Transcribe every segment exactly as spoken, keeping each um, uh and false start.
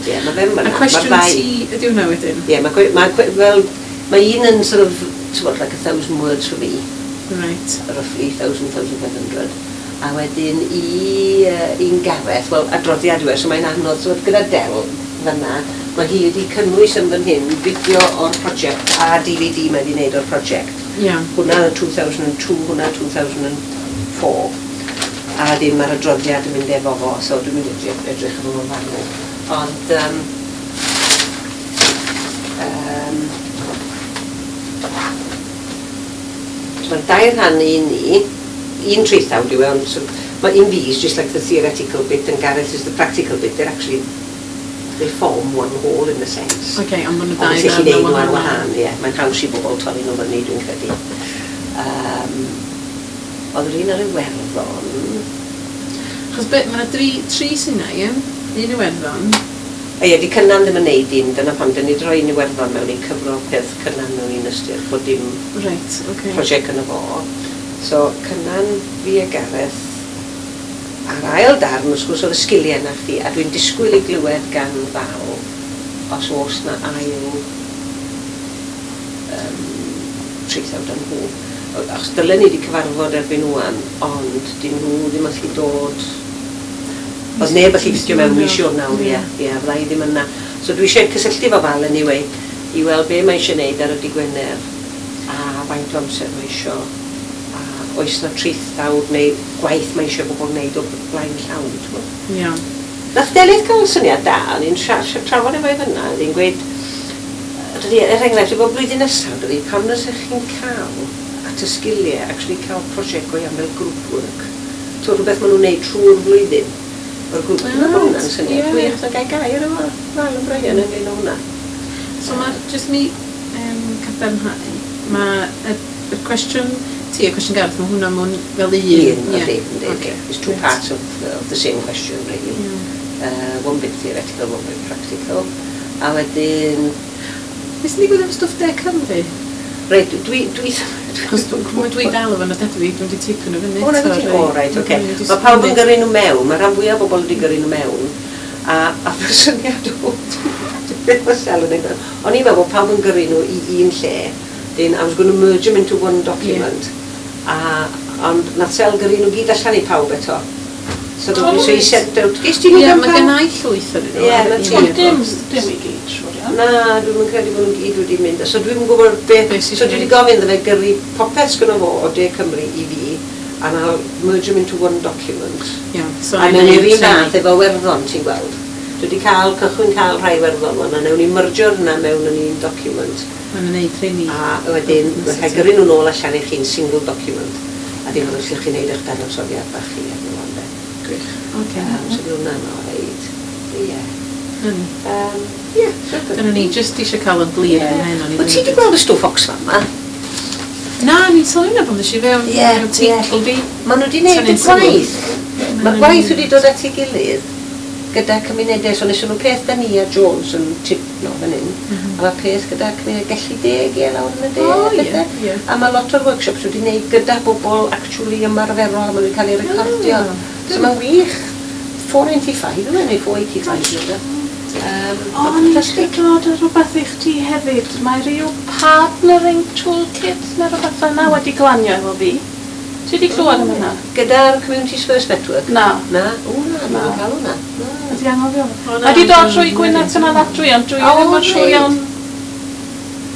Ie, mae fe'n A fan'na. Cwestiwn Ma'r ddau- ti ydy hwnna wedyn? Ie, mae ma, fel, mae un yn sort of, ti'n bod, like a thousand words for me, Right. roughly thousand, thousand five hundred. A wedyn i uh, un Gareth, wel, adroddiad yw e, so mae'n anodd, so gyda Del fan'na, mae hi wedi cynnwys yn fan hyn fideo o'r prosiect a D V D mae wedi wneud o'r prosiect. Iawn. Hwnna yn dwy fil a dau, hwnna dwy fil a pedwar. A wedyn mae'r adroddiad yn mynd efo fo, so dwi'n mynd i edrych, edrych efo fo'n fanwl. Ond, um, um, so mae'r dair rhan i ni, un traethawd yw e, ond so, mae un fi is just like the theoretical bit and Gareth is the practical bit. They're actually, they form one whole in a sense. Oce, ond maen nhw Ond dau ti'n gallu ddarn neud nhw ar wahanol. wahân, ie. Mae'n haws i bobl torri nhw fyny, dwi'n credu. Um, oedd yr un ar Iwerddon. Achos be, mae yna dri, tri sy'n na, ie? Un Iwerddon. A ie, di Cynan ddim yn neud un, dyna pam dyn ni droi un Iwerddon mewn i cyfro peth Cynan mewn un ystyr, bod dim Reit, oce. prosiect yno fo. So, Cynan, fi a Gareth, a'r ail darn, wrth gwrs, oedd y sgiliau na chdi, a dwi'n disgwyl i glywed gan Fal, os oes na ail um, traethawd am nhw. Achos dylen ni wedi cyfarfod erbyn ŵan, ond dyn nhw ddim allu dod. Oedd neb allu ffitio mewn mis Ionawr, ie, ie, fydda i ddim yna. So dwi eisiau cysylltu fo Fal anyway, i weld be mae eisiau neud ar y dydd Gwener, a faint o amser mae eisiau, a oes na traethawd neu gwaith mae eisiau bobl wneud o blaen llaw, ti'n gwbod. Iawn. Nath Delyth gael syniad da, o'n i'n sia- sia- trafod efo i fyna, oedd hi'n gweud, dydy, er enghraifft, efo blwyddyn nesaf, dydy, pam na sech chi'n cael at y sgiliau, actually cael prosiect go iawn fel group work. So rhywbeth maen nhw'n neud trwy'r flwyddyn. O'r grŵp. Dwi'n meddwl bod hwnna'n syniad Ie. gwych, na gael gair efo Val yn Brian ynglyn â hwnna. So mae'r, jyst mi um, cadarnhau, mae y, y cwestiwn ti a cwestiwn Gareth, mae hwnna mewn fel un. Un, Ie. yndi, yndi. Ocê, It's two reit. parts of, of the same question, really. Iawn. Uh, one bit theoretical, one bit practical. A wedyn, Beth sy'n digwydd efo stwff De Cymru? Reit, dwi... dwi Achos dwi, dwi dal efo nodedau fi, dwi'n di teipio nhw fyny. O, na, eto, ti, reit. o, reit, oce. Dwi'n jyst Mae pawb yn mynd. gyrru nhw mewn, mae rhan fwyaf o bobl wedi gyrru nhw mewn. A, a fy syniad o, beth mae Sel yn ei. O'n i'n meddwl bod pawb yn gyrru nhw i un lle, then I was going to merge them into one document. A, ond nath Sel gyrru nhw gyd allan i pawb eto. So, O, oh, so he reit. sent out, ges ti nhw Ie, gan mae pawb? gen i llwyth yn nhw. Ie, ar na y ti. Ond dim, e-bost. dim i gyd, siŵr iawn. Na, dwi'n yn credu bod nhw'n gyd wedi mynd. So dwi'n gwybod beth. Be sy So dwi wedi isio gofyn iddo fe gyrru popeth sgynno fo o De Cymru i fi, and I'll merge them into one document. Iawn, so A I'm mewn i'r un neud fath efo Werddon, ti'n gweld. Dwi wedi cael, cychwyn cael rhai Werddon wan, a newn ni mergio'r hynna mewn yn un document. Mae'n gwneud rheini. A wedyn, mae'n rhaid gyrru nhw nôl allan i chi'n single document. A dim ond os ydych chi'n neud eich dadansoddiad bach chi arno fo, ynde. Gwych. Oce. Um, so bydd hwnna'n alright. Ie. Mm. Um, Ie, so Dyna ni, jyst eisiau cael yn glir yn hyn o'n i Wyt ti wedi gweld y stwff Oxfam ma? Na, ni'n sylwi na pan ddys i fewn. Ie, Ie, teitl fi. Maen nhw wedi gwneud y Tynnu'n sylw. gwaith. Mae'r gwaith wedi dod at ei gilydd gyda cymunedau. So nes nhw peth da ni a Jones yn Tudno fan hyn. Mhm. A mae peth gyda cymuned Gelli Deg, ie, lawr yn y de. O, a ie, pethau. ie. A mae lot o'r workshops wedi gwneud gyda bobl actually ymarferol a maen nhw wedi cael eu recordio. Ah, So mae'n wych. four ninety-five yw e, neu four eighty-five yw e. Um, O, ni eisiau dod o rhywbeth i chdi hefyd. Mae rhyw partnering toolkit neu rhywbeth fel yna wedi glanio efo fi. Ti wedi clywed am hynna? Gyda'r Communities First Network? Na. Na? O, na, Na. dwi'n cael hwnna. Na. Ydi anghofio. O, na, Mae wedi dod dwi'n- trwy Gwynedd Cynaladwy, ond dwi O, ddim yn siŵr reit. iawn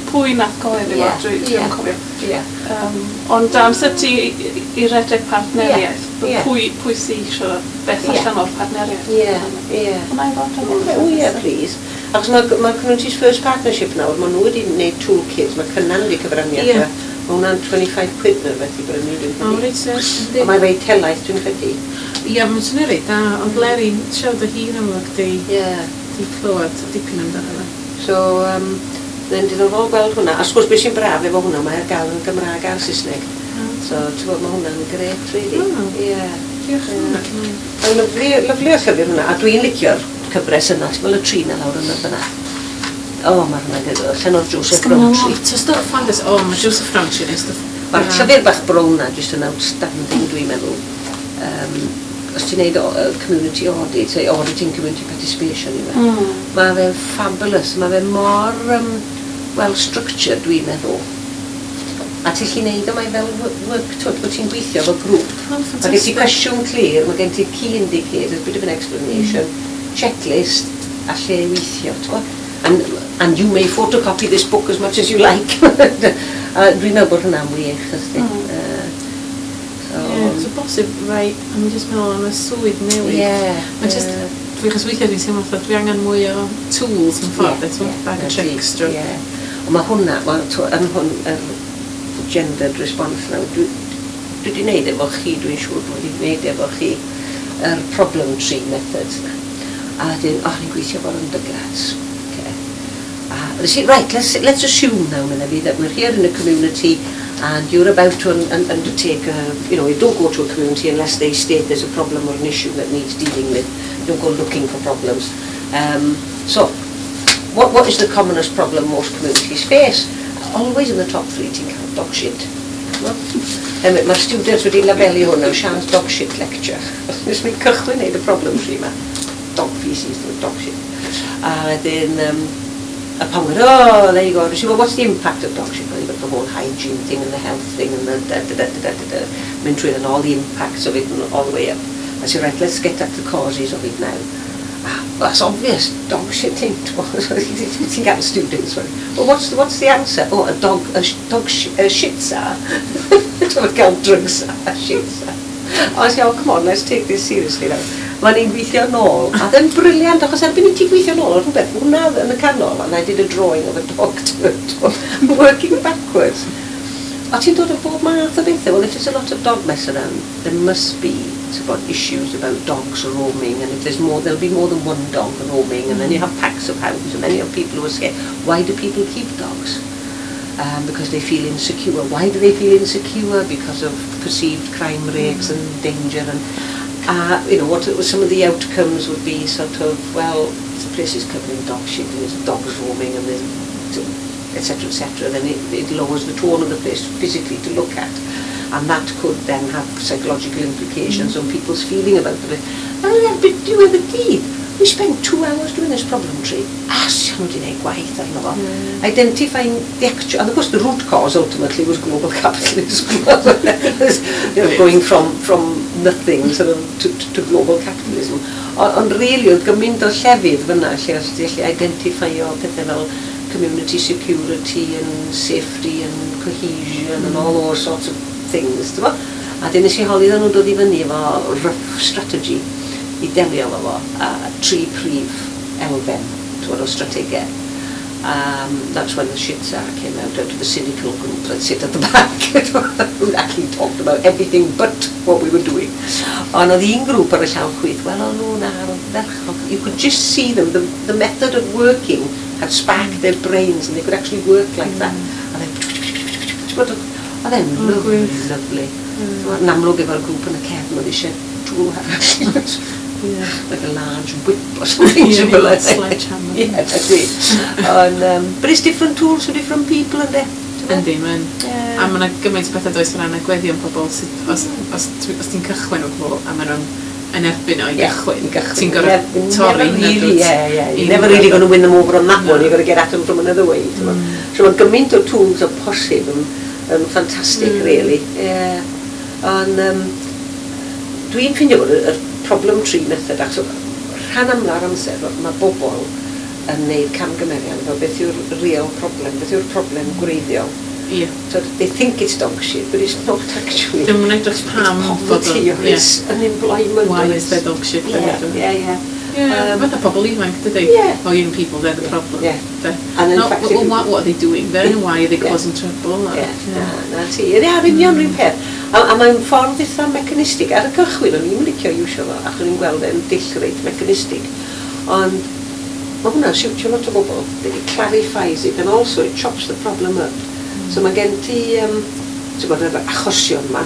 pwy nath gyhoeddi fo, Ie, dwi ie. dwi'n cofio. Ie. Um, ond am sut i, i redeg partneriaeth, Ie, ie. pwy, pwy sy eisiau beth Ie. allan o'r partneriaeth. Ie, ie. Hwnna i fod yn O ie, please. Achos mae, mae Communities First Partnership nawr, maen nhw wedi gwneud toolkits, mae Cynan wedi cyfrannu Ie. at e. Mae hwnna'n dau ddeg pump quid neu rhywbeth i brynu, dwi'n O, credu. reit, ie. Ond mae'n reit helaeth, dwi'n credu. Ie, mae'n swnio reit da, ond Leri'n siarad o hi yn amlwg di, Ie. di clywed dipyn amdano fo. So, um, mae'n diddorol gweld hwnna. A wrth gwrs, beth sy'n braf efo hwnna, mae ar gael yn Gymraeg a'r Saesneg. So, ti'n gwybod, mae hwnna'n gret, really. Mm. Ie. Diolch yn fawr. Mae'n lyfli, lyfli o llyfr hwnna, a dwi'n licio'r cyfres yna, ti'n gweld y tri na lawr yna fyna. O, mae hwnna'n gyda, llen o'r Joseph Sgynno Rowntree. lot o stwff fandas. O, mae Joseph Rowntree yn stwff. Mae'r llyfr bach brown na jyst yn outstanding, dwi'n meddwl. Um, Os ti'n neud o- yy, community audit, say auditing community participation i fe, Mm. mae fe'n fabulous, mae fe mor um, well structured, dwi'n meddwl. A ti'n gallu neud o, mae fel wo- work, twyd, bod ti'n gweithio fel grŵp. Oh, Mae gen ti fantastic. cwestiwn clir, mae gen ti key indicators, bit of an explanation, checklist, a lle i weithio, ti'n gwbod? And, and you may photocopy this book as much as you like. A dwi'n meddwl bod hwnna'n wych, ysdi. Mm. Uh, so, Ie, so bosib, rai, I'm just meddwl am y swydd newydd. Ie. Mae'n just, ie. dwi achos weithiau dwi'n teimlo fatha dwi angen mwy o tools yn ffordd, Ie, eto, ie, bag o na ti, tricks, drwy. Ie. Ond mae hwnna, wel, t'wo, yn hwn, yr gendered response now, dwi, dwi wedi gwneud efo chi, dwi'n siŵr dwi wedi gwneud efo chi, yr problem tree methods na. A wedyn, oh, ni'n gweithio efo'r undergrads. Okay. A nes i, right, let's, let's assume now, medda fi, that we're here in a community and you're about to un, un, undertake a, you know, you don't go to a community unless they state there's a problem or an issue that needs dealing with. You don't go looking for problems. Um, so, what, what is the commonest problem most communities face? Always in the top three, ti'n cael dog shit. Mae'r students wedi labelu hwn now, Sian's dog shit lecture. Nes mi'n cychwyn neud y problem tree yma. Dog feces, dog shit. A wedyn, um, a pan went, oh, there you go. She well, what's the impact of dog shit? Well, you've got the whole hygiene thing and the health thing and the da da da da da da da. Mynd trwy and all the impacts of it and all the way up. I said, right, let's get at the causes of it now. Ah, well, that's obvious, dog shitting. Ti'n gael students, well, what's the, what's the answer? Oh, a dog, a sh dog sh a shits are. Ti'n gael drugs a shits are. I said, oh, come on, let's take this seriously now. Mae'n ni'n gweithio nôl, a then brilliant, achos erbyn i ti gweithio nôl, oedd rhywbeth, hwnna yn y canol, and I did a drawing of a dog to it, working backwards. A ti'n dod o bob math o bethau. Well, if there's a lot of dog mess around, there must be about issues about dogs roaming, and if there's more, there'll be more than one dog roaming, and then you have packs of hounds, and then you have people who are scared. Why do people keep dogs? Um, because they feel insecure. Why do they feel insecure? Because of perceived crime rates and danger and uh, you know, what some of the outcomes would be sort of, well, the place is covered in dog shit and there's dogs roaming and there's etc etc then it, it lowers the tone of the place physically to look at and that could then have psychological implications mm. on people's feeling about the place. And erbyn diwedd y dydd, we spent two hours doing this problem tree. A nhw wedi gwneud gwaith arno fo. Mm. Identifying the actual, and of course the root cause ultimately was global capitalism. you know, going from, from nothing sort of to, to, to global capitalism. Ond really, oedd gymaint o llefydd fyna lle os ti'n gallu identify-o pethau fel community security and safety and cohesion mm. and all those sorts of things, ti'n A dyn nes i holi nhw'n dod i fyny efo rough strategy i delio efo fo, a tri prif elfen twod, o strategaeth. Um, that's when the shit czar came out, out of the cynical group that sit at the back, who actually talked about everything but what we were doing. Ond oedd un grŵp ar y llaw chwith, wel, o'n nhw'n ardderchog. You could just see them, the, the method of working had sparked their brains and they could actually work like that. And then, oedd e'n lovely, lovely. Mm. Yn amlwg efo'r grŵp yn y cefn, oedd eisiau tool arall. Yeah. Like a large whip or something yeah, similar. Sledgehammer. Yeah, that's it. And, um, but it's different tools for different people, and Yndi, mae'n... Yeah. A mae yna gymaint o bethau does o ran agweddion pobl sydd, os, os, os ti'n cychwyn o pobl a maen nhw'n yn erbyn o i yeah, gychwyn, i gychwyn. Ti'n gorfod torri hynna. Really, yeah, yeah. You're never really going to win them over on that no. one. You've got to get at them from another way. Mm. So mae gymaint o tools o posib yn, yn ffantastig, mm. really. Yeah. Ond um, dwi'n ffeindio bod y, y problem tree method, achos rhan amla'r amser mae bobl yn neud camgymeriad efo beth yw'r real problem, beth yw'r problem gwreiddiol. Yeah. So they think it's dog shit, but it's not actually. Dim yn edrych pam It's poverty or yeah. it's unemployment. Why or is there dog shit? Yeah, yeah, yeah. Yeah, Um, fatha pobl ifanc, dydy? Yeah. Oh, young people, they're the Yeah, problem. yeah. They're- And in Not, fact, well, if you- what, what are they doing there? Why are they Yeah. causing trouble? Yeah, na, na ti. Ie, ar union rhywun peth. A, a mae'n ffordd eitha mechanistig. Ar y cychwyn, o'n i'n licio iwsio fo, achos o'n i'n gweld e'n dull reit mechanistig. Ond mae hwnna'n siwtio lot o bobl. It clarifies it and also it chops the problem up. So mae gen ti, um, ti'n gwybod, yr achosion ma,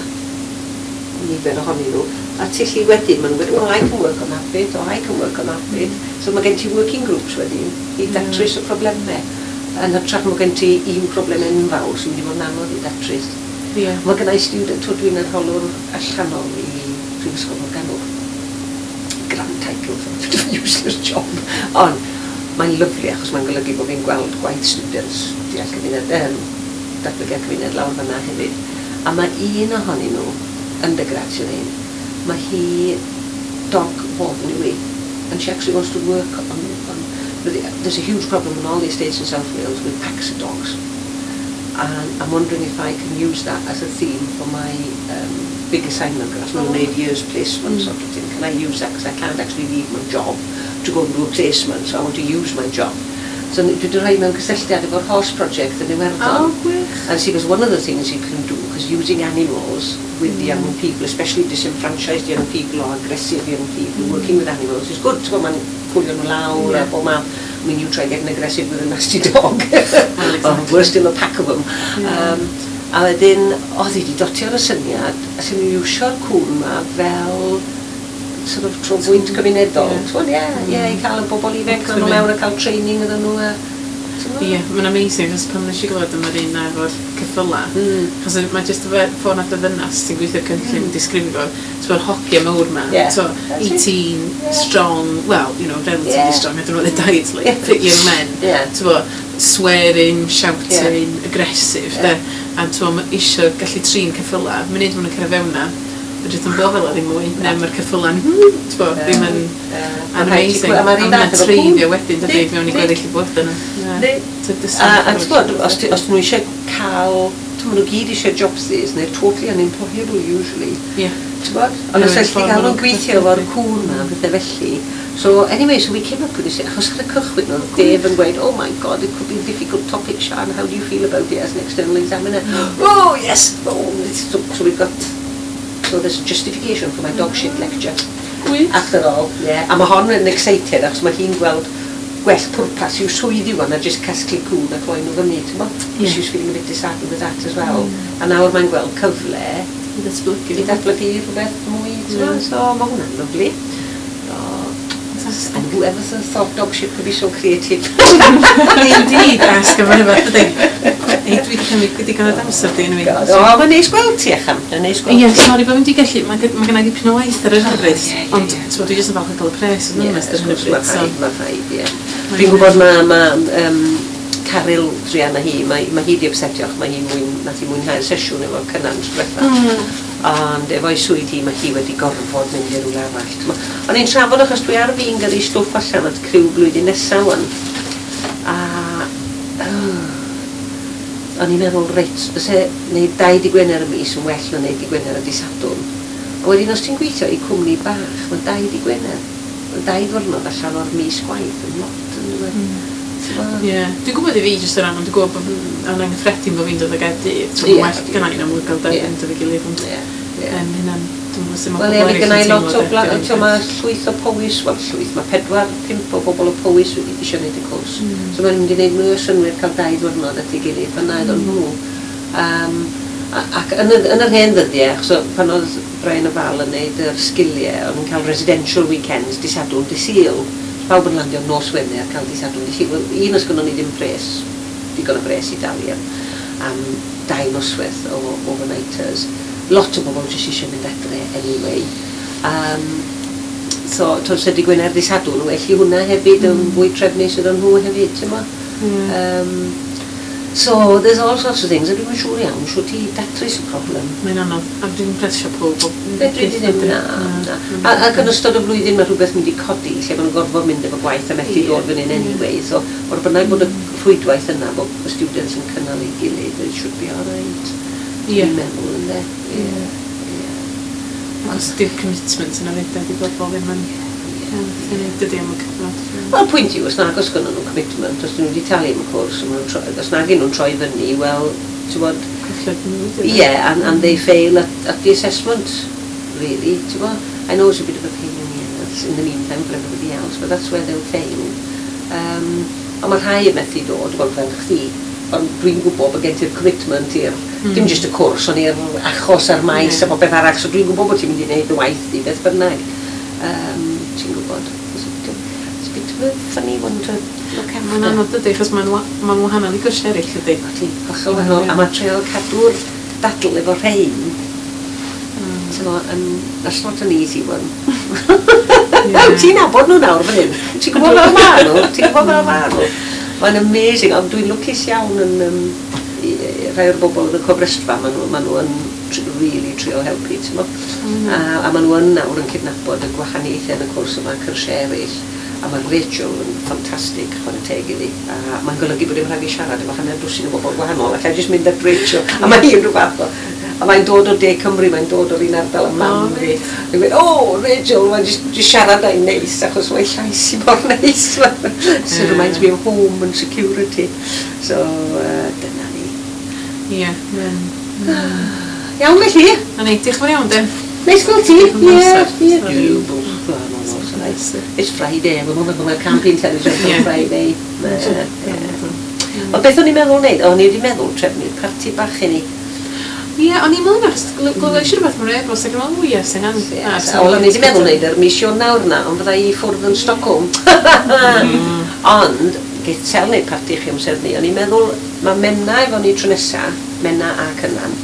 nifer ohonyn nhw, a ti lli wedyn, maen nhw'n gweud, well, I can work on that bit, or I can work on that bit. So mae gen ti working groups wedyn i datrys y problemau. Yn hytrach mae gen ti un problem enfawr sy'n mynd i fod yn anodd i datrys. Yeah. Mae gen i student, twyd dwi'n arholwr allanol i Prifysgol Morgannwg. title for a bit of a useless job. Ond mae'n lyfli achos mae'n golygu bod fi'n gweld gwaith students deall cymuned, um, datblygiad cymuned lawr fyna hefyd. A mae un ohonyn nhw, undergrad sydd ein, mae hi dog warden yw hi. And she actually wants to work on, on there's a huge problem in all the estates in South Wales with packs of dogs. And I'm wondering if I can use that as a theme for my um, big assignment, because I'm going to year's placement mm. sort of thing. Can I use that? Because I can't actually leave my job to go and do a placement, so I want to use my job. So dwi wedi rhoi mewn cysylltiad efo'r horse project yn Iwerddon. Oh, gwych. And see, because one of the things you can do, because using animals with mm. young people, especially disenfranchised young people or aggressive young people, mm. working with animals is good. Ti'n mae'n cwlio nhw lawr yeah. a bob math. I mean, you try getting aggressive with a nasty dog. Well, exactly. Or worse still, a pack of them. Yeah. Um, a wedyn, oedd hi wedi dotio ar y syniad, a sy'n nhw'n iwsio'r cwn ma fel sort of trobwynt cymunedol. Ie, yeah, ie, yeah, i cael y bobl ifanc nhw mewn a cael training iddyn nhw. A, Ie, yeah, mae'n amazing, achos pan nes i glywed am yr un efo'r ceffyla, mm. achos mae jyst y ffordd nath y ddynas sy'n gweithio'r cynllun mm. disgrifio, ti'n bod hogia mawr ma, yeah. so eighteen, yeah. strong, well, you know, relatively yeah. strong, I don't know what their diet's like, yeah. fit young men, yeah. ti'n bod, swearing, shouting, yeah. aggressive, yeah. de, a ti'n bod, isio gallu trin ceffyla, munud maen nhw'n cyrraedd fewn na, mae jyst yn bod fel ddim mwy, neu mae'r ceffyla'n, ti'n bod, ddim yn amazing. A A ma'r un mae'n fath efo treiddio cŵn. wedyn, dydy, fewn i gweddill i bywyd yna. Yndi. A, a ti'n bod, os, ti- os nhw eisiau cael, ti'n nhw gyd eisiau jobsys, they're totally unemployable usually. Ie. Ti'n bod? Ond os Ie, elli ffordd gael maen nhw'n nhw'n gweithio efo'r cŵn ma, pethau felly. So anyway, so we came up with this, achos ar y cychwyn oedd Dave yn gweud, "Oh my God, it could be a difficult topic, Sian, how do you feel about it as an external examiner?" Oh yes, oh, so, so we've got, so there's a justification for my dog shit lecture. Gwych. After all, yeah. A mae hon yn excited achos mae hi'n gweld gwell pwrpas i'w swydd i wan a just casglu cŵn a cloi nhw fyny, ti'n bod? Ie. She was feeling a bit disheartened with that as well. A nawr mae'n gweld cyfle I ddatblygu. I datblygu rhywbeth mwy, ti'n bod? Ie. So mae hwnna'n lyfli. So, Fantastic. and whoever thought dog shit could be so creative? Indeed, ask am rhywbeth, dydy. Ei, dwi wedi cymryd digon o amser di, anyway. God, o, mae'n neis gweld ti, Achan. Mae'n neis gweld Ie, ti. sori bod fi'n di gallu, mae gen- mae gen i dipyn o waith ar yr hyfryd, ie, ie, ond ie. t'mod, dwi jyst yn falch o gael y pres yn Ie, onest ar wrth hyn o gwrs, bryd, mae so. rhaid, mae rhaid, ie. Mae'n Dwi'n gwybod mae ma, um, Caryl druan â hi, mae, mae hi di upsetio, achos mae hi mwyn, nath hi mwynhau'r sesiwn efo Cynan tro diwetha. Mm. Ond efo'i swydd hi, mae hi wedi gorfod mynd i rywle arall. T'mo', o'n i'n trafod achos dwi ar fin gyrru stwff allan at criw blwyddyn nesaf wan. A oh, o'n i'n meddwl, reit, fyse wneud dau dy Gwener y mis yn well na wneud dy Gwener a dy Sadwrn. A wedyn os ti'n gweithio i cwmni bach, mae dau dy Gwener. Mae dau ddwrnod allan o'r mis gwaith yn lot yn dweud. Mm. T'mo'? Ie, dwi'n gwybod i fi jyst o ran, ond dwi'n gwybod bod yn yn anghyffredin bod fi'n dod o Gaerdydd. Ie. Ti'n well gynna i'n amlwg gael dau Ie. fynd efo'i gilydd, ond Ie, ie. yym, hynna'n, dwi'n gwybod sut mae Wel ie, pobl mae eraill gynna i yn lot teimlo o de, bla- dy'r un t'mo', mae peth. llwyth o Powys, wel llwyth, mae pedwar, pump o bobl o Powys wedi eisiau gwneud y cwrs. Mm. So mae'n mynd i wneud mwy o synnwyr cael dau ddwrnod at ei gilydd, fyna iddyn nhw. Um, a- ac yn, y, yn yr hen ddyddiau, achos o- pan oedd Brian a Val yn neud yr sgiliau, o'n nhw'n cael residential weekends, dy Sadwrn, dy Sul. Pawb yn landio nos Wener, cael dy Sadwrn, dy Sul. Wel, un os gynnon ni ddim pres, digon o bres i dalu am, am dau noswaith o overnighters. Lot o bobl jyst eisiau mynd adre anyway. Um, so, to se dy Gwener dy Sadwrn, well i hwnna hefyd yn fwy trefnus iddyn nhw hefyd, ti'n mo? Ie. Um, so, there's all sorts of things, a dwi'n siŵr iawn, siŵr ti datrys y problem. Mae'n anodd, a dwi'n presio pob o Fedri di ddim, na. Na. A, ac yn ystod y flwyddyn mae rhywbeth mynd i codi lle maen nhw'n gorfod mynd efo gwaith a methu Ie. dod fan hyn anyway. So, o'r bynnag bod y rhwydwaith yna, bod y students yn cynnal ei gilydd, it should be alright. Ie. Dwi'n meddwl, ynde? Ie. Ie. Achos di'r commitment yna fyd, di bobl ddim yn Ie. yn dydy am y cyfnod. Wel, pwynt yw, os nag oes gynnon nhw commitment, os dyn nhw wedi talu am y cwrs, a ma' nhw'n troi- os nag nhw'n troi fyny, wel, ti'n bod, Colled nhw. Dydy? Yeah, and, and they fail at, at the assessment, really. Ti'n bod? I know it's a bit of a pain in the ass in the meantime for everybody else, but that's where they'll fail. Um, ond mae rhai yn methu dod, wel fel chdi, ond dwi'n gwybod bod gen ti'r commitment i'r, mm. dim jyst y cwrs, ond i'r achos a'r maes Ie. a popeth arall, so dwi'n gwybod bod ti'n mynd i wneud y waith di, beth bynnag. Um, ti'n gwybod. It's a bit of, it's a bit of a funny one to look after. Mae'n anodd dydy, achos mae'n wa- mae'n wahanol i gwrs eraill ydy. Ydy, hollol wahanol. A mae trio cadw'r dadl efo rhain Mm. Ti'n yn, that's not an easy one. Ti'n nabod nhw nawr fan hyn. Ti'n gwybod fel ma nhw? Ti'n gwybod fel ma nhw? Mae'n amazing, ond dwi'n lwcus iawn yn um, rhai o'r bobl yn y cofrestrfa, maen nhw, maen nhw yn really trio helpu, ti'n mo? Mm. A, a maen nhw yn nawr yn cydnabod y gwahaniaethau yn y cwrs yma, cyrsiau eraill. A mae Rachel yn ffantastig, chwarae teg iddi. A mae'n golygu bod dim rhaid i siarad efo hanner dwsin o bobl gwahanol. Allai jyst mynd at Rachel. A mae hi'n rhyw fath o... A mae'n dod o De Cymru, mae'n dod o'r un ardal â mam oh, fi. Dwi'n gweud, oh, Rachel, mae'n just, just siarad â'i neis, achos mae'n llais i mor neis. So it reminds me of home and security. So, uh, dyna ni. Ie. Yeah. Mm. Iawn felly. Na ni, diolch yn fawr iawn, de. Neis gweld ti. Ie, ie. It's Friday, we're camping television on Friday. Ond beth o'n i'n meddwl wneud? O'n i wedi meddwl trefnu'r parti bach i ni. Ie, o'n i'n meddwl achos glywais i rhywbeth mewn e-bost ac yn meddwl, o ie, sy'n an... Wel, o'n i wedi meddwl wneud yr mis Ionawr na, ond fydda i ffwrdd yn Stockholm. Ond, geith Sel wneud parti chi amser ni. O'n i'n meddwl, mae Menna efo ni tro nesa, Menna a Cynan,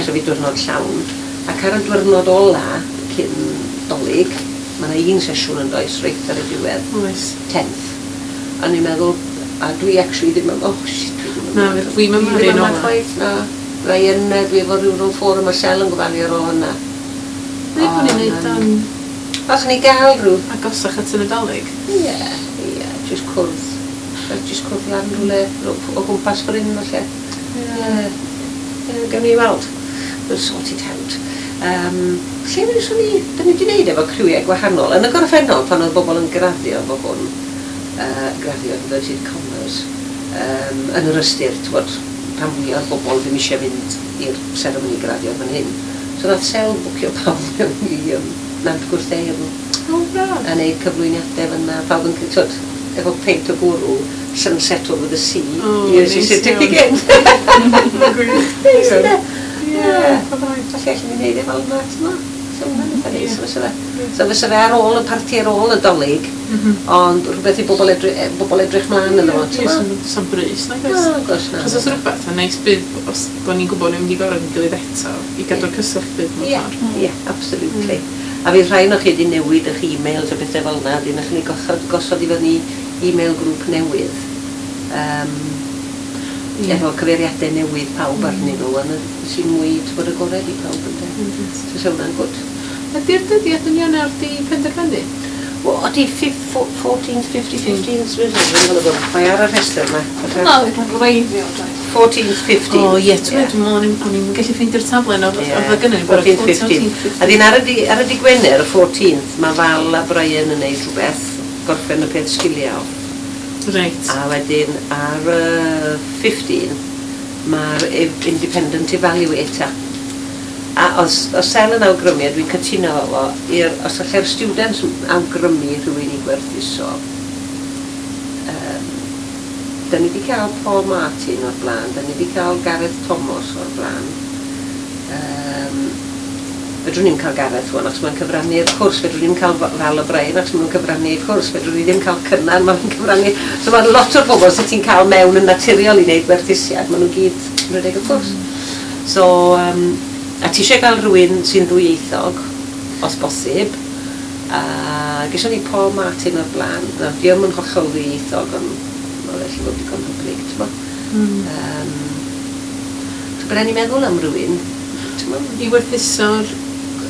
so fi diwrnod llawn. Ac ar y diwrnod ola, cyn Dolig, mae yna un sesiwn yn does, reit ar y diwedd. Oes. tenth. A o'n i'n meddwl, a dwi actually ddim yn, oh shit, dwi ddim yn... Na, dwi'm yn Dwi ddim yma chwaith, na. Fydda i yn, dwi efo rhyw rhyw ffwrdd mae Sel yn gofalu ar ôl hynna. Neu bod ni'n neud um... Os ni gael rhyw... Agosach at y Nadolig? Ie, ie, jyst cwrdd. Jyst cwrdd lan rhywle o gwmpas fan hyn, falle. Ie. Gawn ni weld. We'll sort it out. Um, lle wnaethon ni, da ni wedi gwneud efo criwiau gwahanol. Yn y gorffennol, pan oedd bobl yn graddio efo hwn, uh, graddio inverted commas, um, yn yr ystyr, t'wod, pan fwy o'r bobl ddim eisiau fynd i'r seremoni graddio fan hyn. So nath Sel bwcio pawb mewn i um, Nant Gwrtheyrn. Oh, braf. A neud cyflwyniadau fan'na, pawb yn, t'wod, efo peint o gwrw, sunset over the sea, oh, here's your certificate. Neis, ynde? Ie, falle allan ni wneud e fel yna, ti'n mo? So hwnna'n eitha neis, fysa fe. So fysa fe ar ôl y parti ar ôl y Dolig, ond rhywbeth i bobl edrych, bobl edrych mlaen ynddo fo, ti'n mo? Sa'n brys, nag oes? Na, gwrs na. Achos os rhywbeth, yn neis bydd, os bod ni'n gwybod ni'n mynd i gorau yn gilydd eto, i gadw'r cyswllt bydd mewn ffordd. Ie, absolutely. A fydd rhai o'ch chi wedi newid eich e-mails a bethau fel yna, wedyn allwn ni gosod, gosod i fyny e-mail grŵp newydd. Um, Yeah. Efo cyfeiriadau newydd pawb arnyn nhw, a sy'n mwy t'bod agored i pawb ynde. So so hwnna'n gwd. Ydy'r dyddiad yn Ionawr di penderfynu? Wel, ydy fourteenth, fifteenth, fifteenth, mae ar y rhestr yma. Na, dwi'n gwreiddiol, doedd. fourteenth, fifteenth. O ie, ti'n meddwl, o'n i'n gallu ffeindio'r taflen oedd oedd gynnu ni bod fourteenth, fifteenth. A dyn ar y, ar y di Gwener, y fourteenth, mae Val a Brian yn neud rhywbeth, gorffen y peth sgiliau off. Reit. A wedyn ar y fifteenth, mae'r Independent Evaluator. A os, os Sel yn awgrymu, a dwi'n cytuno efo, i'r, os allai'r students awgrymu rhywun i gwerthuso, um, da ni wedi cael Paul Martin o'r blaen, da ni wedi cael Gareth Thomas o'r blaen. Um, fedrwn ni'm cael Gareth wan, achos mae'n cyfrannu'r cwrs, fedrwn ni'm cael Val O'Brien, achos mae'n cyfrannu'r cwrs, fedrwn ni ddim cael Cynan, mae'n cyfrannu... So mae lot o'r bobl sydd ti'n cael mewn yn naturiol i wneud gwerthusiad, maen nhw gyd yn rhedeg y cwrs. So, um, a ti eisiau cael rhywun sy'n ddwyieithog, os bosib, a geson ni Paul Martin o'r blaen, na, di o'm yn hollol ddwyieithog, ond mae'n felly fod digon hyblyg, ti'n bo? Mm. Um, so bydden ni'n meddwl am rhywun, ti'n bo? I werthuso'r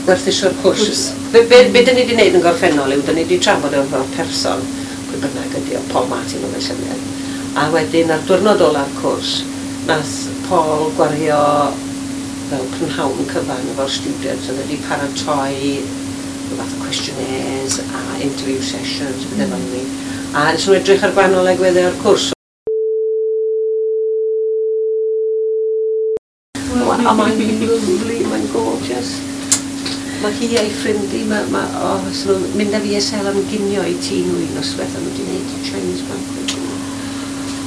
werthuso'r cwrs. Be, be, be dyn ni wedi wneud yn gorffennol yw, dyn ni wedi trafod efo person, pwy bynnag ydi o, Paul Martin oedd y llynedd. A wedyn ar diwrnod ola'r cwrs, nath Paul gwario fel prynhawn cyfan efo'r students, oedd wedi paratoi rhyw fath o questionnaires a interview sessions, bethau fel 'ny. A nes nhw edrych ar gwahanol agweddau o'r cwrs. A mae'n lovely, mae'n gorgeous. Mae hi a'i ffrindi, mae, ma, oh, so nhw'n mynd â fi a Sel am ginio i tŷ nhw un noswaith, a nhw wedi gwneud Chinese banquet.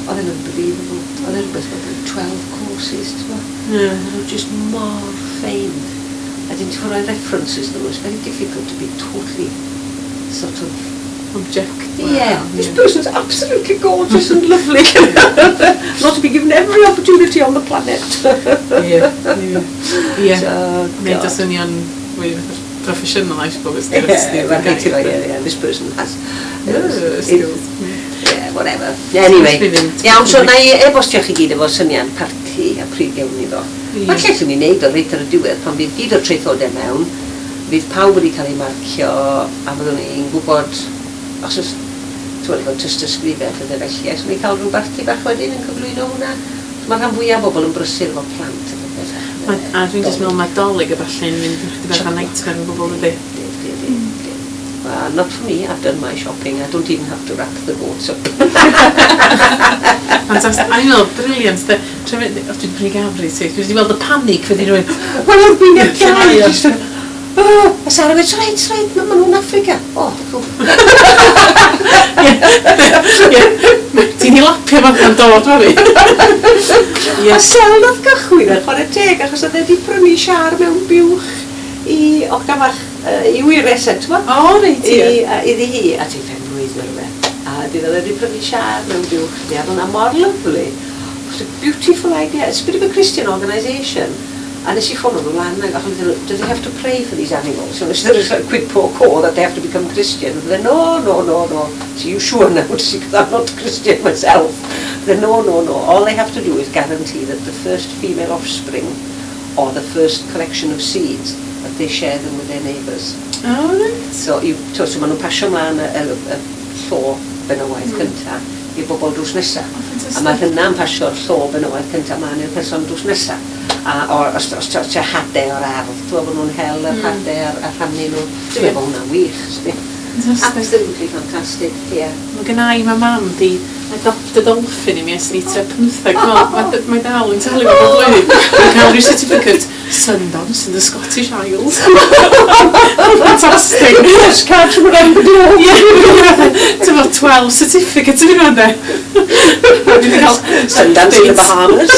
Oedd e'n unbelievable. Oedd e'n rhywbeth fel twelve courses, ti'n gwbod? Yeah. Oedd nhw just mor ffein. A dyn ti'n rhoi references nhw, it's very difficult to be totally sort of objective. Yeah, this person's absolutely gorgeous and lovely. Not to be given every opportunity on the planet. Ie, ie. Ie. So, Neud o God. swnio'n mwy proffesiynol, I suppose. Yeah, mae'n rhaid ti roi, yeah, this person has skills. Yeah, whatever. Anyway, iawn, so na i e-bostio chi gyd efo syniad parti a pryd gewn ni ddo. Falle allwn ni wneud o reit ar y diwedd, pan fydd gyd o'r traethodau mewn, fydd pawb wedi cael eu marcio a fyddwn ni'n gwybod, os oes, ti'n gwybod, efo tystysgrifau a pethau felly, allwn ni cael rhyw barti bach wedyn yn cyflwyno hwnna. Mae rhan fwyaf o bobl yn brysur efo plant a pethau. Ma, a dwi'n just meddwl mae Dolig a falle'n mynd yn chydig bach o nightmare yn bobl ydy. Di, di, di, di. Well, not for me, I've done my shopping, I don't even have to wrap the goats up. Fantastic. A ni'n meddwl, brilliant, de. Dwi'n mynd, o, dwi'n prynu gafr i ti. Dwi wedi weld y panic fydd i rhywun. Wel, oedd fi'n Lle mae o? just yn, oh, a Sarah went, right, right, ma nhw'n Africa. Oh, Ie. Ti'n i lapio fan yn dod, Mari. Ie. A Sel nath gychwyn ar chwarae teg, achos oedd e wedi prynu siar mewn buwch i oga fach, uh, i wyres e, ti'n O, reit, I, ie. a, iddi hi, a ti'n pen-blwydd neu rhywbeth. A di oedd e wedi prynu siar mewn buwch, ni, a oedd hwnna mor lovely. It was a beautiful idea. It's a bit of a Christian organisation. A nes i ffono nhw lan ac oedd nhw, do they have to pray for these animals? So nes i a quid pro quo that they have to become Christian. And they no, no, no, no. So you sure now? Because I'm not Christian myself. They no, no, no. All they have to do is guarantee that the first female offspring or the first collection of seeds, that they share them with their neighbours. O, reit. So, you, so, so maen nhw'n pasio mlaen y, y, y llo benywaidd mm. cynta i bobl drws nesa. O, A mae hynna'n pasio'r llo benywaidd cynta mlaen i'r person drws nesa. A or, os, os, os, os hadau o'r ardd, ti'n gwybod bod nhw'n hel yr Mm. hadau a'r, a rhannu nhw. Dwi'n meddwl bod hwnna'n wych, sdi. Fantastic. Absolutely fantastic, yeah. Mae gynna i, mae mam di adopt a dolphin i mi ers ni tua pymtheg. Mae mae dal yn talu fo bob blwyddyn. Mae'n cael rhyw certificate, Sundance in the Scottish Isles. Fantastic. Postcard from around the globe. Ie, ti'n fawr twelve certificates yn hynna, de. Dwi wedi cael Sundance in the Bahamas.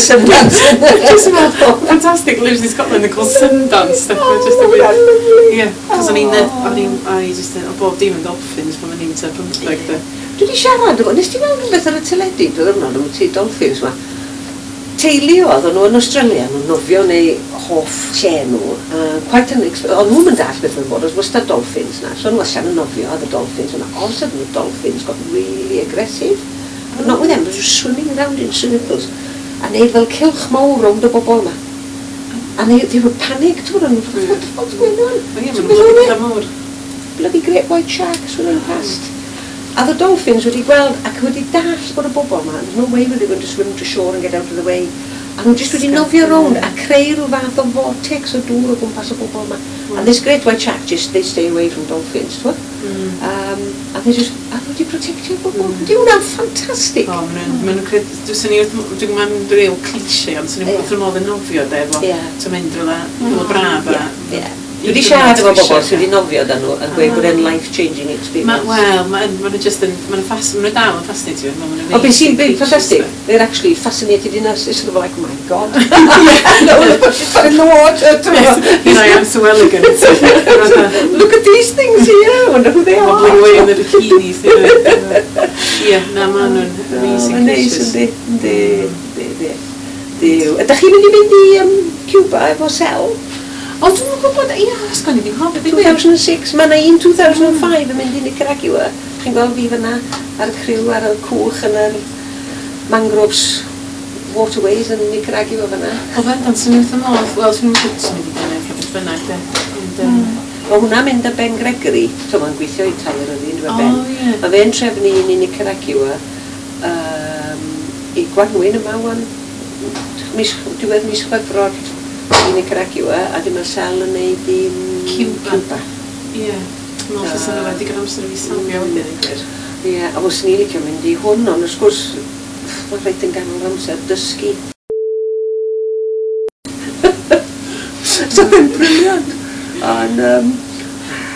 Sundance. Just fel, fantastic, lives in Scotland and called Sundance. Oh, just a weird. Ie, cos o'n i'n, o'n i'n, o'n i just, o bob dim yn dolphins pan o'n i'n tua pymtheg, de. Dwi wedi siarad efo, nes ti weld rhywbeth ar y teledu, dwi ddim yn ti dolphins ma. Teulu oedd, o'n nhw yn Australia, nhw'n nofio neu hoff lle nhw, uh, quite an o'n nhw'n mynd all beth yn bod, oedd wastad dolphins na, so nhw allan yn nofio, oedd y dolphins yna, all of a sudden the dolphins got really aggressive. But not with them, they were just swimming around in circles, a neud fel cylch mawr rownd y bobl yma. And they, they were panicked, ti'n gwybod, what the fuck's going on? O ie, Ti'n maen gwybod nhw'n hwnna? mawr. Bloody great white shark swimming past. A the dolphins wedi gweld ac wedi dallt bod y bobl yma, there's no way were they going to swim to shore and get out of the way. A nhw jyst wedi nofio rownd a creu rhyw fath o vortex o dŵr o gwmpas y bobl yma. And this great white shark just, they stay away from dolphins, t'wod? Mm. Um, a they just, a nhw wedi protectio'r bobl. Mm. Di hwnna'n ffantastig. O, maen nhw'n, maen nhw'n credu, swn i wrth, dwi'n gwybod mae'n real cliché, ond swn i Ie. wrth y modd yn nofio, de, efo, Ie. ti'n mynd rhywle, rhywle braf a... Ie, ie. Dwi wedi siarad efo bobl sydd wedi nofio dan nhw yn gweud bod e'n life-changing Ma, experience. Wel, maen ma nhw just yn, maen nhw'n ffas, maen nhw dal yn fascinatio, maen nhw'n Ond beth sy'n big fantastic, they're actually fascinated in us. It's sort of like, oh my God. No, in the water. Here I am, so elegant. Look at these things here. I wonder who they are. Wobbling away in the bikinis. Ie, na, maen nhw'n amazing Mae'n neis, creatures. yndi, yndi, yndi, yndi. Duw. Ydych chi'n mynd i fynd i um, Cuba efo Sel? O, dwi'm yn gwybod, ia, sgwn i ddim hoffi, ddim two thousand six, mae yna un two thousand five yn mynd i Nicaragua. Chi'n gweld fi fyna ar y criw ar y cwch yn yr mangroves waterways yn Nicaragua fyna. O, bendant, swn i wrth y modd. Wel, swn i'n gwybod, swn i wedi gwneud rhywbeth bynnag, de. Ond, yym, Mae hwnna'n mynd â Ben Gregory, so mae'n gweithio i Tair yr un, dwi'n O, Ben. ie. Mae fe'n trefnu un i Nicaragua um, i Gwanwyn yma wan, mis, diwedd mis Chwefror i Nicaragua, a dim mae Sel yn neud i Cuba. Cuba. Ie. Dwi'n meddwl fysa nhw wedi gael amser i fi safio wedyn, yn gwir. Ie, a fyswn i'n licio mynd i hwn, ond wrth gwrs, mae'n rhaid yn ganol amser dysgu. So fe'n brilliant. Ond, um,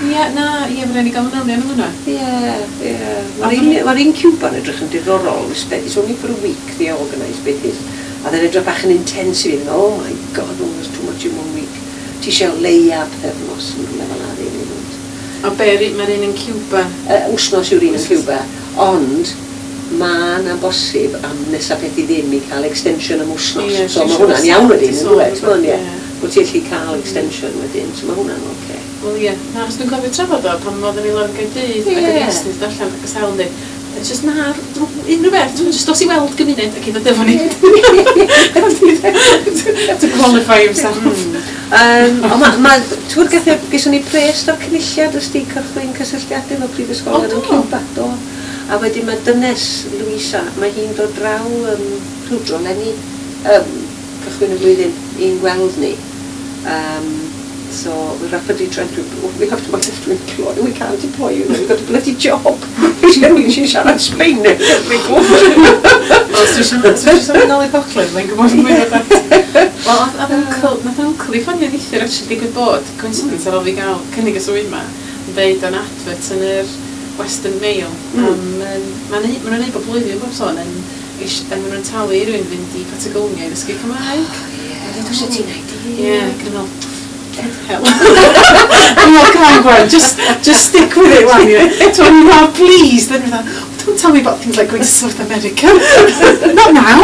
Ie, na, ie, mae'n rhaid i gael manylion am hwnna. Ie, ie. Mae'r un, mae'r un Cuba'n edrych yn diddorol. It's only for a week they organise beth is. A then edrych bach yn intense i fi. Oh my God, oh, there's too much in one week. Ti eisiau leia pythefnos yn rhywle fel 'na rili. A be, mae'r un yn Cuba? Uh, wsnos yw'r un yn Cuba. Ond mae yna bosib am nesaf peth i ddim i cael extension am wsnos. Ie, So dwi'n mae siŵr hwnna'n iawn wedyn, di yn sôn dweud, rhywbeth, ie. ie. Wyt ti'n gallu cael extension wedyn, so mae hwnna'n oce. Wel ie, na, achos dwi'n cofio trafod o pan oedden ni lawr yn Gaerdydd ac Ie. yn Estyn allan ac ys dweud, it's just na, unrhyw beth, ti'n just dos i weld gymuned ac i ddod efo ni. To qualify himself. Um, ond ma, ma, ti'n gwybod gath geson ni pres o'r cynulliad ys di cychwyn cysylltiadau efo prifysgolion O, yn do? Cuba, do. A wedyn mae dynes Louisa, mae hi'n dod draw um, rhywdro leni, um, cychwyn y flwyddyn, i'n gweld ni. Um, so we're rapidly trying to, we have to, might have to employ, we can't employ you, we've got a bloody job. She's siarad Sbaeneg, Wel, os dwi eisiau mynd nôl i Gogledd, mae'n gwybod mwy o dat. Wel, oedd uncle, nath uncle i ffonio neithiwr actually digwydd bod, coincidence ar ôl fi gael cynnig y swydd ma, yn deud o'n advert yn yr Western Mail. Mm. Am, yym, Ma'n ma nhw'n neud bob blwyddyn bob sôn yn, ish- yn ma nhw'n talu i rywun fynd i Patagonia i ddysgu Cymraeg. Ie, dwi'n ti'n idea. Ie, gyda meddwl, hell. I'm like, come on, Gwen, just, just stick with it, won't you? So I'm not pleased. Then you're like, don't tell me about things like going to South America. Not now.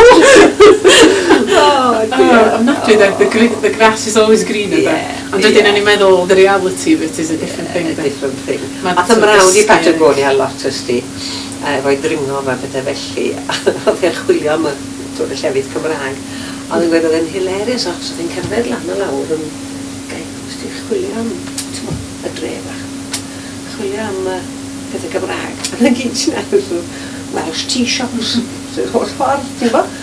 Oh, Oh, I'm not doing that. The, gre- the grass is always greener Yeah, there. Ond wedyn yeah. o'n i'n meddwl, the reality of it is a different thing. A de. different thing. Ma' Ath y mrawd i dysgu- Patagonia lot ysdi, efo'i dringo fa pethau felly, oedd e'n chwilio am y, twyd, y llefydd Cymraeg. Oedd yn gweud oedd e'n hilarious achos oedd e'n cerdded lan a lawr yn gai, ysdi chwilio am, t'mo, y dre bach. Chwilio am uh, pethau Cymraeg. A na gyd sy'n agos Welsh tea shops. So, holl ffordd, ti'n gwybod?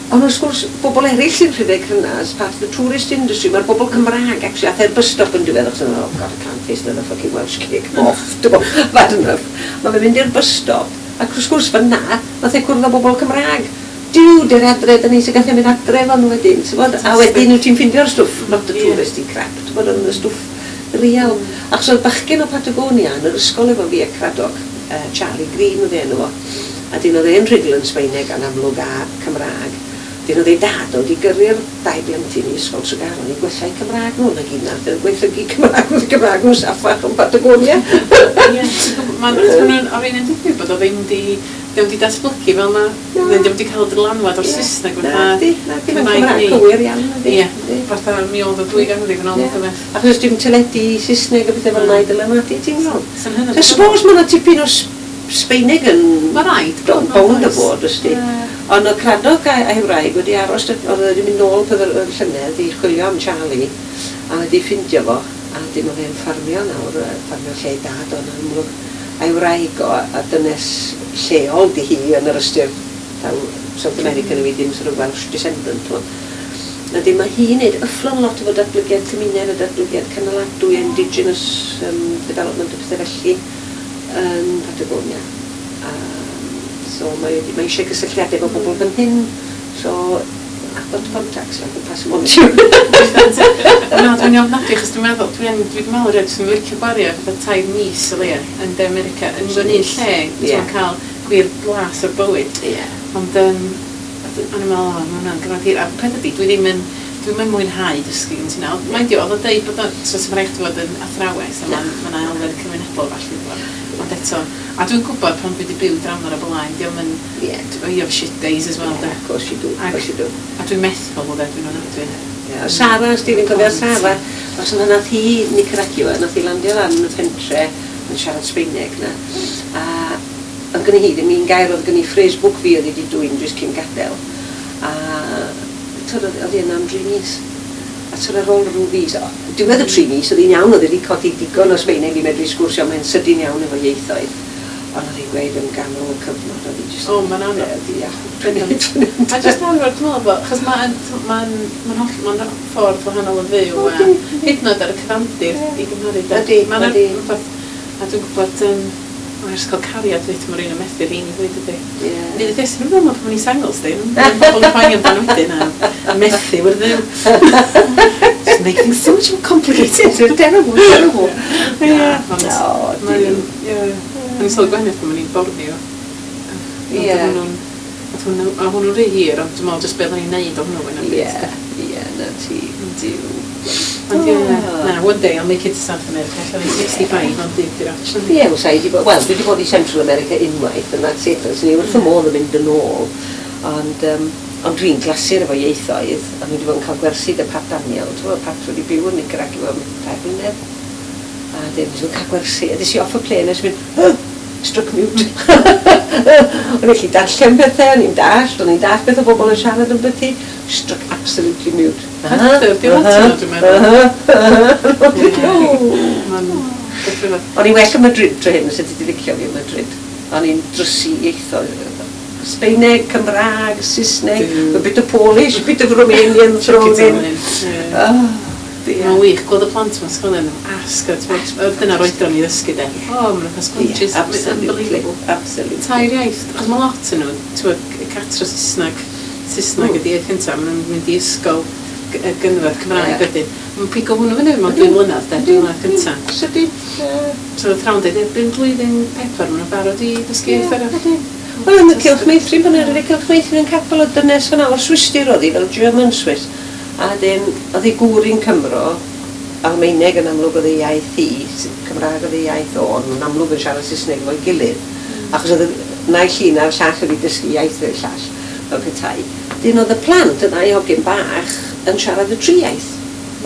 Ond wrth gwrs, bobl eraill sy'n rhedeg hynna as part of the tourist industry. Mae'r bobl Cymraeg, actually, ath e'r bus stop yn diwedd, achos oh God, I can't face another fucking Welsh cake off. Dwi'n gwybod, I've had enough. Mae fe'n mynd i'r bus stop, ac wrth gwrs fyna, nath e cwrdd â bobl Cymraeg. Duw, dy'r adre, da ni sy'n gallu mynd adre fan nhw wedyn, ti'n gwbod? A wedyn wyt ti'n ffeindio'r stwff, not the Ie. touristy crap, ti'n gwbod, ond y stwff real. Achos oedd bachgen o Patagonia yn yr ysgol efo fi a Cradog, uh, Charlie Green oedd ei enw fo. A dyn oedd e'n rhugl yn Sbaeneg a'n amlwg a Cymraeg. Dyn oedd ei dad oedd i gyrru'r dau blentyn i ysgol Tregaron i gwella'u Cymraeg nhw. Na gyd nath yn gwaethygu Cymraeg nhw, Cymraeg nhw saffach yn Patagonia. Ie, ti'n gwbod, ma'n hwnnw'n o'r un yn digwydd bod o ddim di, ddim di datblygu fel na, Na. ddim di cael dylanwad o'r Ie. Saesneg Na, fatha di, na, di, mae'n Cymraeg Cymraeg ni. cywir iawn. ydi, Ie, ydi. fatha mi oedd o dwy ganrif yn ôl Ie. o beth. Achos dim teledu Saesneg a bethau fel 'na i dylanwadu, ti'n gweld? Sy'n hynod. I suppose mae yna tipyn o S- Sbaeneg yn Ma' raid do, bod, bownd o oes. bod, ysdi. Ie. Ond oedd Cradog a, a'i wraig wedi aros, oedd e wedi mynd nôl peth yr yr llynedd i chwilio am Charlie, a wedi ffindio fo, a dim oedd e'n ffarmio nawr, yy, ffarmio lle ei dad o'n amlwg. A'i wraig o, a dynes lleol di hi yn yr ystyr, taw South American yw hi ddim sort of Welsh descendant, t'mo. A dim mae hi'n neud yfflon lot efo datblygiad cymuned a datblygiad cynaladwy, indigenous um, development a pethau felly yn Patagonia. Um, so mae, mae eisiau cysylltiadau efo bobl fan hyn, so I've got contacts, I can pass them on to you. Na, dwi'n ofnadwy, achos dwi'n meddwl, dwi'n dwi'n meddwl rhaid, dwi'n licio gwario fatha tair mis o leia yn De America, yn mewn un lle, Ie. ti'n cael gwir blas o'r bywyd. Ie. Ond, um, o'n i'n meddwl, o, mae hwnna'n gyfnod hir. A peth ydi, dwi ddim yn, dwi'n mynd mwynhau dysgu yn ti'n nawr. Mind you, oedd o'n deud bod o, so sy'n rhaid chdi fod yn athrawes, a mae'n ma elfen cymunedol falle. Ond eto, a dwi'n gwybod pan dwi wedi byw dramor o blaen, diolch yn, Ie. you have shit days as well, de. Of course you do, of Ac- course you do. A dwi'n methu pobl, de, dwi'n ofnadwy. Yeah. Sara, os ti'n cofio Sara, os yna nath hi Nicaragua, nath hi landio lan yn y pentre yn siarad Sbeineg na. A oedd gen hi ddim un gair, oedd gen hi phrase book fi oedd hi wedi dwyn jyst cyn gadael. A twyd, oedd oedd hi yna am dri mis. A twyd ar ôl rhyw fis, o, diwedd y tri mis, oedd hi'n iawn, oedd hi wedi codi digon o Sbeineg i medru sgwrsio, mae'n sydyn iawn efo ieithoedd. Ond oedd hi'n gweud yn ganol y cyfnod, oedd hi jyst... O, ma'n anodd. Ia. A jyst arfer, dwi'n meddwl bod, achos mae'n ma'n ma'n holl, ma'n ffordd wahanol o fyw, a Ydi, hyd yn oed ar y cyfandir Ie. i gymharu. de. Ydi, Ma'n ydi. rhywbeth, a dwi'n gwybod, um, o, ers cael cariad fyd, mae'r un yn methu'r un i ddweud ydi. Ie. Nid ydy sy'n ymwneud pan o'n i'n sengl, sti. Mae'n pobl yn poeni amdano wedyn a methu wrth ddiw. Just make things so much more complicated. Terrible, terrible. Ie, ond O, mae'n, ie. O'n i'n sylwi gwahaniaeth pan o'n i'n Borneo. Ie. Ond hwnnw'n, oedd hwnnw, a hwnnw'n rhy hir, ond dwi'n meddwl jyst beth o'n i'n neud o hwnnw fwy na Ie, ie, na ti, diw. Ond ie, Ah. na, one day I'll make it to South America, allan i'n sixty-five, ond dim di'r option. Ie, wel, sa i 'di bod, wel, dwi wedi bod i Central America unwaith, and that's it, so ni wrth y modd yn mynd yn ôl. Ond, um, Ond dwi'n glasur efo ieithoedd, a dwi wedi bod yn cael gwersi 'da Pat Daniel. Ti'n gwybod, Pat wedi byw yn Nicaragua am tair blynedd. A dyn, dwi'n cael gwersi, a des i off y plane, a nes i mynd, "Huh, struck mute." O'n i'n gallu darllen pethau, o'n i'n dallt, o'n i'n dallt beth o bobl yn siarad yn byti, struck absolutely mute. Hyder, di lot yno, dwi'n meddwl. Mae'n beth rhyfedd. O'n i'n well yn Madrid tro hyn, sut ti wedi licio fi yn Madrid. O'n i'n drysu ieithoedd. Sbeineg, Cymraeg, Saesneg, Duw. a bit of Polish, a bit of Romanian thrown in. Ie. Oh, dear. Mae'n wych gweld y plant mewn ysgolion yn asg, dyna'r oedran i ddysgu de. O, maen nhw'n sponges, Yeah, absolutely. Unbelievable. Absolutely. Tair iaith, achos mae lot yn nhw, ti'n gwbod, cartre Saesneg, Saesneg Mm. ydi iaith cyntaf, maen nhw'n mynd i ysgol g- y gynradd Cymraeg Ie. wedyn. Mae'n pigo hwnnw fyny mewn dwy flynedd, de, dwy flynedd cyntaf. Sydyn. Ie. So oedd athrawon dweud, erbyn blwyddyn pedwar, maen nhw'n barod i ddysgu iaith arall. Wel, yn y Cylch Meithrin, pan oedd y Cylch Meithrin yn capel o dynes fyna, o'r Swistir oedd hi, fel German Swiss. A wedyn, oedd ei gŵr i'n Cymro, Almaeneg yn amlwg oedd ei iaith hi, S- Cymraeg oedd ei iaith o, ond nhw'n amlwg yn siarad Saesneg efo'i gilydd. Achos oedd y naill un a'r llall wedi dysgu iaith i'r llall, fel petai. Dyn oedd y plant, y ddau hogyn bach, yn siarad y tri iaith,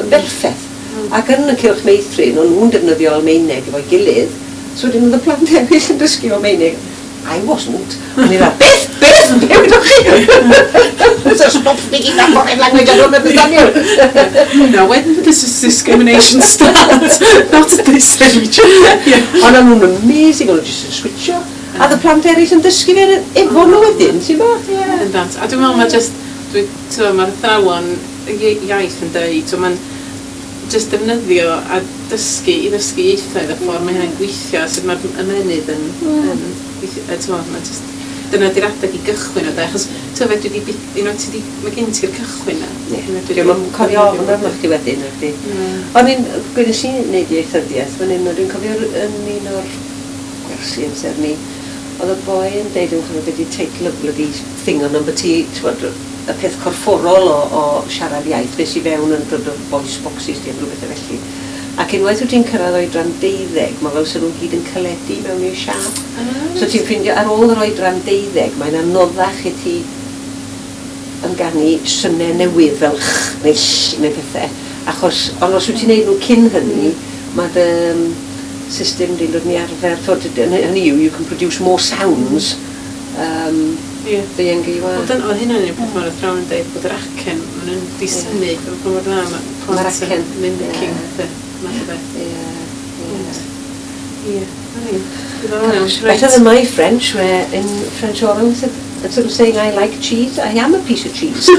yn berffaith. Ac yn y Cylch Meithrin, o'n nhw'n defnyddio Almaeneg efo'i gilydd, so wedyn oedd y plant eraill yn dysgu Almaeneg. I wasn't. O'n i fel, "Beth, beth, be wydwch chi?" So stop speaking that foreign language, I don't understand you. Now, when does this discrimination start? Not at this age. Yeah. Ond o'n nhw'n amazing, o'n nhw jyst yn switcho. A oedd y plant eraill yn dysgu fe efo nhw wedyn, ti'n bo? Ie. Bendant. A dwi'n meddwl mae just, dwi, ti'n mae'r athrawon ie- iaith yn deud, so mae'n just defnyddio a dysgu i ddysgu ieithoedd y ffordd mae hynny'n gweithio, sut mae'r ymennydd yn, Mm. yn gweithio, yy, ti'n mae just, dyna di'r adeg i gychwyn o de, achos ti'n fedri di, you know, ti di, mae gen ti'r cychwyn na. Ie. Dwi'n yn cofio ofn arno chdi wedyn, nag Na. O'n i'n, gwnes i wneud ieithyddiaeth fan hyn, dwi'n cofio yn un o'r gwersi amser ni, oedd y boi yn deud yn cofio beth di teitl y bloody thing on number ti, t'wod, y peth corfforol o, o siarad iaith, beth sy'n fewn yn dod o voice boxes di, rhywbeth felly. Ac unwaith wyt ti'n cyrraedd oedran deuddeg, mae fel sy'n nhw'n gyd yn caledu mewn i'r siâp. So ti'n ffeindio ar ôl yr oedran deuddeg, mae'n anoddach i ti ynganu synau newydd fel ch neu ll neu pethau. Achos, ond os wyt ti'n neud nhw cyn hynny, mae dy um, system di'n dod yn ei arfer. T'wod, hynny yw, you can produce more sounds um, Ie. the younger you are. Wel, dyna, oedd hynna'n un peth mae'r athrawon yn dweud, bod yr acen, maen nhw'n disynnu, pa mor dda mae Ma'r plant acen, yn mimicking, ie. de, math o beth. Ie, ie. Ie, na ni. Diddorol iawn. Gosh, better than my French, where in French oral, instead of saying "I like cheese," "I am a piece of cheese."